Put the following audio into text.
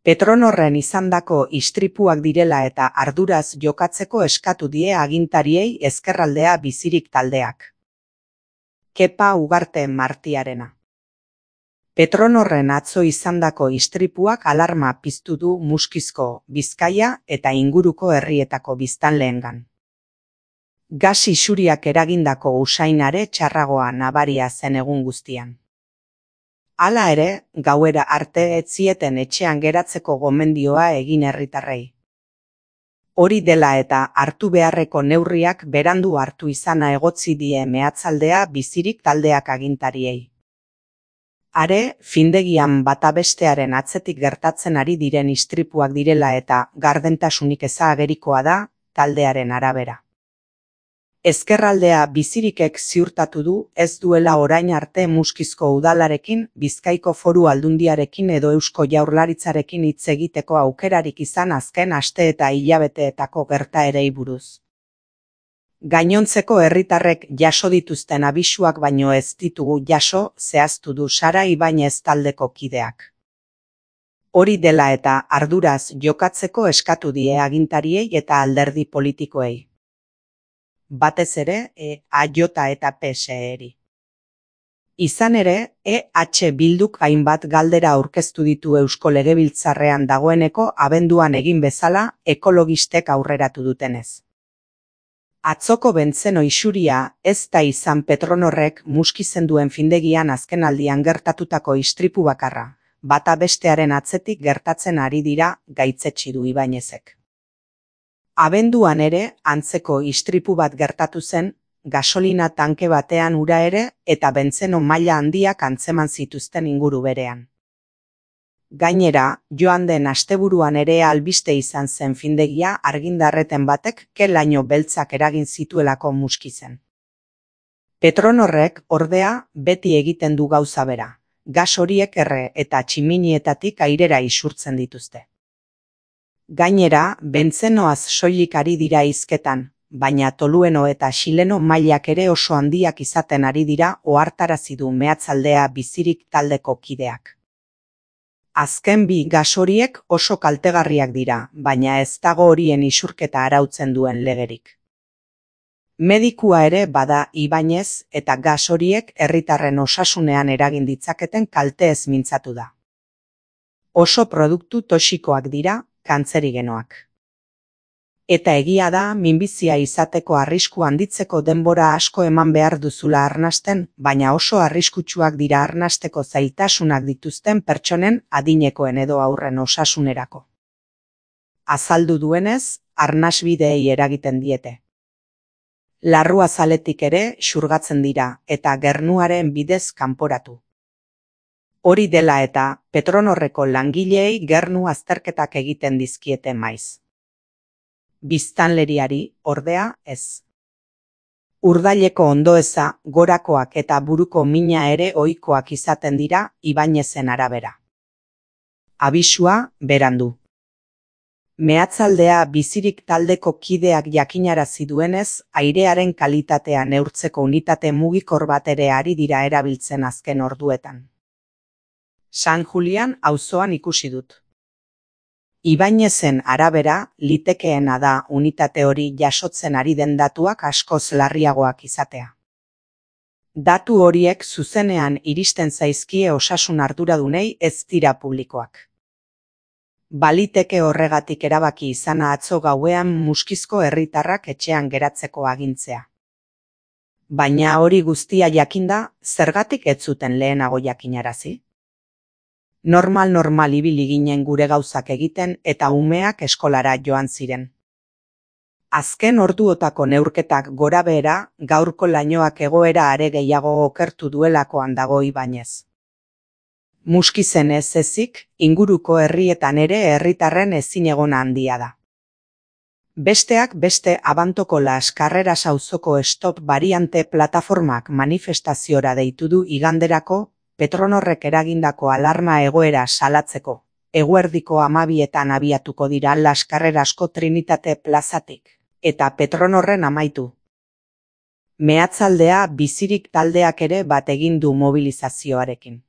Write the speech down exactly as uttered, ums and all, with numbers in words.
Petronorren izandako istripuak direla eta arduraz jokatzeko eskatu die agintariei Ezkerraldea Bizirik taldeak. Kepa Ugarte Martiarena. Petronorren atzo izandako istripuak alarma piztu du Muskizko, Bizkaia eta inguruko herrietako biztanleengan. Gas isuriak eragindako usainare txarragoa nabaria zen egun guztian. Hala ere, gauera arte ez zieten etxean geratzeko gomendioa egin herritarrei. Hori dela eta hartu beharreko neurriak berandu hartu izana egotzi die Meatzaldea Bizirik taldeak agintariei. Are, findegian bata bestearen atzetik gertatzen ari diren istripuak direla eta gardentasunik eza agerikoa da, taldearen arabera. Ezkerraldea Bizirikek ziurtatu du ez duela orain arte Muskizko udalarekin, Bizkaiko Foru Aldundiarekin edo Eusko Jaurlaritzarekin hitz egiteko aukerarik izan azken aste eta hilabeteetako gertaerei buruz. Gainontzeko herritarrek jaso dituzten abisuak baino ez ditugu jaso, zehaztu du Sara Ibañez taldeko kideak. Hori dela eta arduraz jokatzeko eskatu die agintariei eta alderdi politikoei. Batez ere, E H eta P S E-ri. Izan ere, E H Bilduk hainbat galdera aurkeztu ditu Eusko Legebiltzarrean dagoeneko abenduan egin bezala ekologistek aurreratu dutenez. Atzoko bentzeno isuria ez da izan Petronorrek Muskizen duen findegian azkenaldian gertatutako istripu bakarra, bata bestearen atzetik gertatzen ari dira, gaitzetsi du Ibañezek. Abenduan ere, antzeko istripu bat gertatu zen, gasolina tanke batean ura ere eta bentzeno maila handiak antzeman zituzten inguru berean. Gainera, joan den asteburuan ere albiste izan zen findegia argindarreten batek ke-laino beltzak eragin zituelako Muskizen. Petronorrek, ordea, beti egiten du gauza bera, gas horiek erre eta tximinietatik airera isurtzen dituzte. Gainera, bentzenoaz soilik ari dira hizketan, baina tolueno eta xileno mailak ere oso handiak izaten ari dira ohartarazi du Meatzaldea Bizirik taldeko kideak. Azken bi gas horiek oso kaltegarriak dira, baina ez dago horien isurketa arautzen duen legerik. Medikua ere bada Ibañez eta gas horiek herritarren osasunean eragin ditzaketen kalteez mintzatu da. Oso produktu toxikoak dira, kantzerigenoak. Eta egia da, minbizia izateko arrisku handitzeko denbora asko eman behar duzula arnasten, baina oso arriskutsuak dira arnasteko zailtasunak dituzten pertsonen adinekoen edo aurren osasunerako. Azaldu duenez, arnasbideei eragiten diete. Larruazaletik ere xurgatzen dira eta gernuaren bidez kanporatu. Hori dela eta Petronorreko langileei gernu azterketak egiten dizkiete maiz. Biztanleriari, ordea, ez. Urdaileko ondoeza, gorakoak eta buruko mina ere ohikoak izaten dira Ibañezen arabera. Abisua, berandu. Meatzaldea Bizirik taldeko kideak jakinarazi duenez, airearen kalitatea neurtzeko unitate mugikor bat ere ari dira erabiltzen azken orduetan. San Julian auzoan ikusi dut. Ibañezen arabera, litekeena da unitate hori jasotzen ari den datuak askoz larriagoak izatea. Datu horiek zuzenean iristen zaizkie osasun arduradunei ez dira publikoak. Baliteke horregatik erabaki izana atzo gauean Muskizko herritarrak etxean geratzeko agintzea. Baina hori guztia jakinda, zergatik ez zuten lehenago jakinarazi? Normal-normal ibili ginen gure gauzak egiten eta umeak eskolara joan ziren. Azken orduotako neurketak gorabehera, gaurko lainoak egoera are gehiago okertu duelakoan dago Ibañez. Muskizen ez ezik, inguruko herrietan ere herritarren ezinegona handia da. Besteak beste Abantoko Las Carreras auzoko Stop Variante plataformak manifestaziora deitu du iganderako, Petronorrek eragindako alarma egoera salatzeko, eguerdiko hamabietan abiatuko dira Las Carrerasko Trinitate plazatik, eta Petronorren amaitu. Meatzaldea Bizirik taldeak ere bat egin du mobilizazioarekin.